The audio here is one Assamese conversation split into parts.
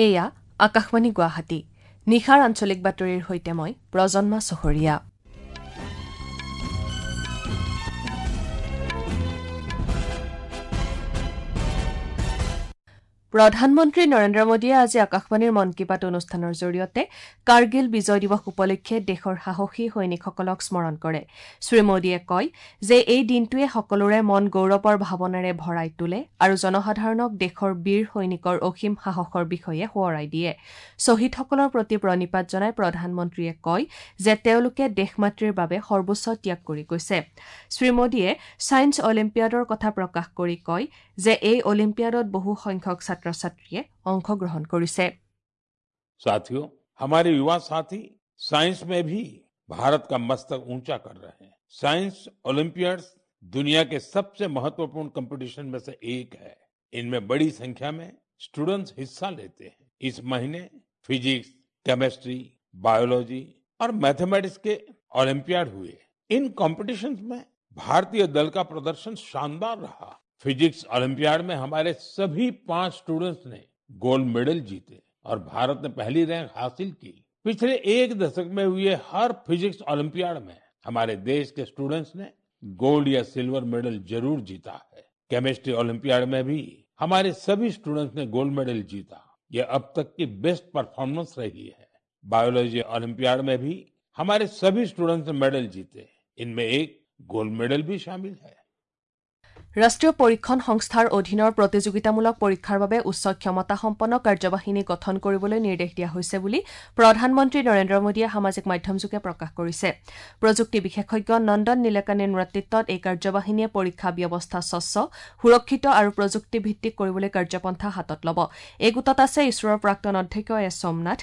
এয়া আকাশবাণী গুৱাহাটী। নিশাৰ আঞ্চলিক বাতৰিৰ সৈতে মই প্ৰজন্মা চহৰীয়া। প্ৰধানমন্ত্ৰী নৰেন্দ্ৰ মোদীয়ে আজি আকাশবাণীৰ মন কী বাত অনুষ্ঠানৰ জৰিয়তে কাৰ্গিল বিজয় দিৱস উপলক্ষে দেশৰ সাহসী সৈনিকসকলক স্মৰণ কৰে। শ্ৰী মোদীয়ে কয় যে এই দিনটোৱে সকলোৰে মন গৌৰৱৰ ভাৱনাৰে ভৰাই তোলে আৰু জনসাধাৰণক দেশৰ বীৰ সৈনিকৰ অসীম সাহসৰ বিষয়ে সোঁৱৰাই দিয়ে। শ্বহীদসকলৰ প্ৰতি প্ৰণিপাত জনাই প্ৰধানমন্ত্ৰীয়ে কয় যে তেওঁলোকে দেশ মাতৃৰ বাবে সৰ্বোচ্চ ত্যাগ কৰি গৈছে। শ্ৰী মোদীয়ে ছায়েন্স অলিম্পিয়াডৰ কথা প্ৰকাশ কৰি কয় যে এই অলিম্পিয়াডত বহু সংখ্যক ছাত্ৰ-ছাত্ৰীয়ে অংশগ্ৰহণ কৰিছে। साथियों, हमारे युवा साथी साइंस में भी भारत का मस्तक ऊंचा कर रहे हैं। साइंस ओलंपियाड्स दुनिया के सबसे महत्वपूर्ण कंपटीशन में से एक है। इनमें बड़ी संख्या में स्टूडेंट्स हिस्सा लेते हैं। इस महीने फिजिक्स, केमिस्ट्री, बायोलॉजी और मैथमेटिक्स के ओलंपियाड हुए। इन कॉम्पिटिशन्स में भारतीय दल का प्रदर्शन शानदार रहा। फिजिक्स ओलंपियाड में हमारे सभी 5 स्टूडेंट्स ने गोल्ड मेडल जीते और भारत ने पहली रैंक हासिल की। पिछले एक दशक में हुए हर फिजिक्स ओलंपियाड में हमारे देश के स्टूडेंट्स ने गोल्ड या सिल्वर मेडल जरूर जीता है। केमिस्ट्री ओलंपियाड में भी हमारे सभी स्टूडेंट्स ने गोल्ड मेडल जीता। ये अब तक की बेस्ट परफॉर्मेंस रही है। बायोलॉजी ओलंपियाड में भी हमारे सभी स्टूडेंट्स ने मेडल जीते। इनमें एक गोल्ड मेडल भी शामिल है। ৰাষ্ট্ৰীয় পৰীক্ষণ সংস্থাৰ অধীনৰ প্ৰতিযোগিতামূলক পৰীক্ষাৰ বাবে উচ্চ ক্ষমতাসম্পন্ন কাৰ্যবাহিনী গঠন কৰিবলৈ নিৰ্দেশ দিয়া হৈছে বুলি প্ৰধানমন্ত্ৰী নৰেন্দ্ৰ মোদীয়ে সামাজিক মাধ্যমযোগে প্ৰকাশ কৰিছে। প্ৰযুক্তি বিশেষজ্ঞ নন্দন নীলেকানীৰ নেতৃত্বত এই কাৰ্যবাহিনীয়ে পৰীক্ষা ব্যৱস্থা স্বচ্ছ, সুৰক্ষিত আৰু প্ৰযুক্তিভিত্তিক কৰিবলৈ কাৰ্যপন্থা হাতত ল'ব। এই গোটত আছে ইছৰোৰ প্ৰাক্তন অধ্যক্ষ এছ সোমনাথ,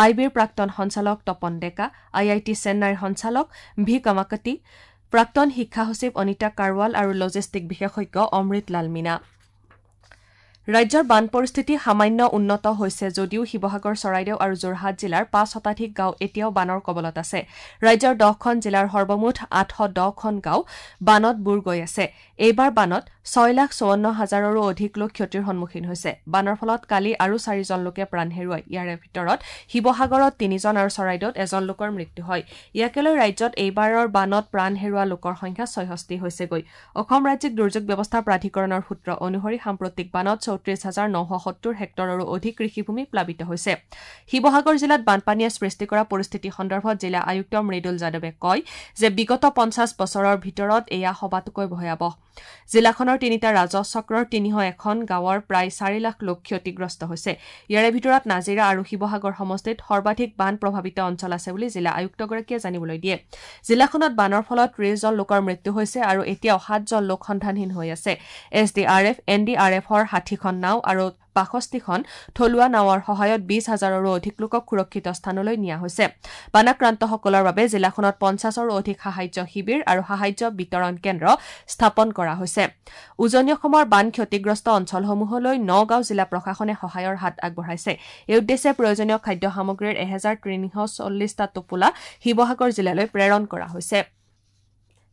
আই বিৰ প্ৰাক্তন সঞ্চালক তপন ডেকা, আই I T চেন্নাইৰ সঞ্চালক ভি কামাকতি, প্ৰাক্তন শিক্ষা সচিব অনিতা কাৰৱাল আৰু লজিষ্টিক বিশেষজ্ঞ অমৃত লাল মীনা। ৰাজ্যৰ বান পৰিস্থিতি সামান্য উন্নত হৈছে যদিও শিৱসাগৰ, চৰাইদেউ আৰু যোৰহাট জিলাৰ 5 শতাধিক গাঁও এতিয়াও বানৰ কবলত আছে। ৰাজ্যৰ 10খন জিলাৰ সৰ্বমুঠ 810খন গাঁও বানত বুৰ গৈ আছে। এইবাৰ বানত 6,54,000ৰো অধিক লোক ক্ষতিৰ সন্মুখীন হৈছে। বানৰ ফলত কালি আৰু 4জন লোকে প্ৰাণ হেৰুৱায়। ইয়াৰে ভিতৰত শিৱসাগৰত 3জন আৰু চৰাইদেউত 1জন লোকৰ মৃত্যু হয়। ইয়াকে লৈ ৰাজ্যত এইবাৰৰ বানত প্ৰাণ হেৰুওৱা লোকৰ সংখ্যা 66 হৈছেগৈ। অসম ৰাজ্যিক দুৰ্যোগ ব্যৱস্থা প্ৰাধিকৰণৰ সূত্ৰ অনুসৰি সাম্প্ৰতিক বানত 34,970 হেক্টৰৰো অধিক কৃষিভূমি প্লাবিত হৈছে। শিৱসাগৰ জিলাত বানপানীয়ে সৃষ্টি কৰা পৰিস্থিতি সন্দৰ্ভত জিলা আয়ুক্ত মৃদুল যাদৱে কয় যে বিগত 50 বছৰৰ ভিতৰত এয়া সবাতোকৈ ভয়াৱহ। জিলাখনৰ 3টা ৰাজহ চক্ৰৰ 301খন গাঁৱৰ প্ৰায় 4 লাখ লোক ক্ষতিগ্ৰস্ত হৈছে। ইয়াৰে ভিতৰত নাজিৰা আৰু শিৱসাগৰ সমষ্টিত সৰ্বাধিক বান প্ৰভাৱিত অঞ্চল আছে বুলি জিলা আয়ুক্তগৰাকীয়ে জানিবলৈ দিয়ে। জিলাখনত বানৰ ফলত 30জন লোকৰ মৃত্যু হৈছে আৰু এতিয়াও 7জন লোক সন্ধানহীন হৈ আছে। S D R F, N D R এফৰ 60খন নাও আৰু 62খন থলুৱা নাৱৰ সহায়ত 20,000ৰো অধিক লোকক সুৰক্ষিত স্থানলৈ নিয়া হৈছে। বানাক্ৰান্তসকলৰ বাবে জিলাখনত 50ৰো অধিক সাহায্য শিবিৰ আৰু সাহায্য বিতৰণ কেন্দ্ৰ স্থাপন কৰা হৈছে। উজনি অসমৰ বান ক্ষতিগ্ৰস্ত অঞ্চলসমূহলৈ নগাঁও জিলা প্ৰশাসনে সহায়ৰ হাত আগবঢ়াইছে। এই উদ্দেশ্যে প্ৰয়োজনীয় খাদ্য সামগ্ৰীৰ 1,340টা টোপোলা শিৱসাগৰ জিলালৈ প্ৰেৰণ কৰা হৈছে।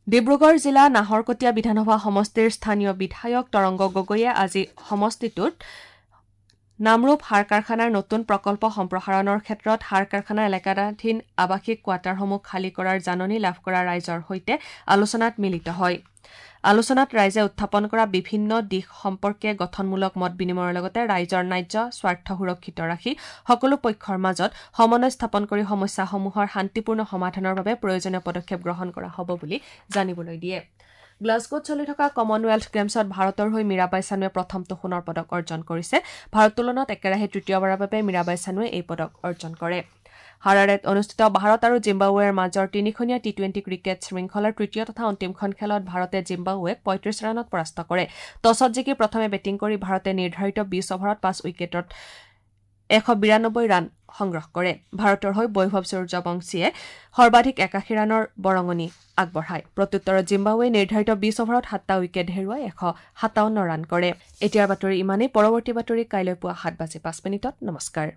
ডিব্ৰুগড় জিলা নাহৰকটীয়া বিধানসভা সমষ্টিৰ স্থানীয় বিধায়ক তৰংগ গগৈয়ে আজি সমষ্টিটোত নামৰূপ সাৰ কাৰখানাৰ নতুন প্ৰকল্প সম্প্ৰসাৰণৰ ক্ষেত্ৰত সাৰ কাৰখানা এলেকাধীন আৱাসিক কোৱাৰ্টাৰসমূহ খালী কৰাৰ জাননী লাভ কৰা ৰাইজৰ সৈতে আলোচনাত মিলিত হয়। আলোচনাত ৰাইজে উত্থাপন কৰা বিভিন্ন দিশ সম্পৰ্কে গঠনমূলক মত বিনিময়ৰ লগতে ৰাইজৰ ন্যায্য স্বাৰ্থ সুৰক্ষিত ৰাখি সকলো পক্ষৰ মাজত সমন্বয় স্থাপন কৰি সমস্যাসমূহৰ শান্তিপূৰ্ণ সমাধানৰ বাবে প্ৰয়োজনীয় পদক্ষেপ গ্ৰহণ কৰা হ'ব বুলি জানিবলৈ দিয়ে। গ্লাছগোত চলি থকা কমনৱেলথ গেমছত ভাৰতৰ হৈ মীৰাবাই চানুৱে প্ৰথমটো সোণৰ পদক অৰ্জন কৰিছে। ভাৰোত্তোলনত একেৰাহে তৃতীয়বাৰৰ বাবে মীৰাবাই চানুৱে এই পদক অৰ্জন কৰে। হাৰাৰেত অনুষ্ঠিত ভাৰত আৰু জিম্বাবুৱেৰ মাজৰ 3খনীয়া টি-20 ক্ৰিকেট শৃংখলাৰ তৃতীয় তথা অন্তিমখন খেলত ভাৰতে জিম্বাবুৱেক 35 ৰানত পৰাস্ত কৰে। টছত জিকি প্ৰথমে বেটিং কৰি ভাৰতে নিৰ্ধাৰিত 20 অভাৰত 5 উইকেটত 192 ৰান সংগ্ৰহ কৰে। ভাৰতৰ হৈ বৈভৱ সূৰ্যবংশীয়ে সৰ্বাধিক 81 ৰানৰ বৰঙণি আগবঢ়ায়। প্ৰত্যুত্তৰত জিম্বাবুৱে নিৰ্ধাৰিত 20 অভাৰত 7টা উইকেট হেৰুৱাই 157 ৰান কৰে। এতিয়াৰ বাতৰি ইমানেই। পৰৱৰ্তী বাতৰি কাইলৈ পুৱা 7:05। নমস্কাৰ।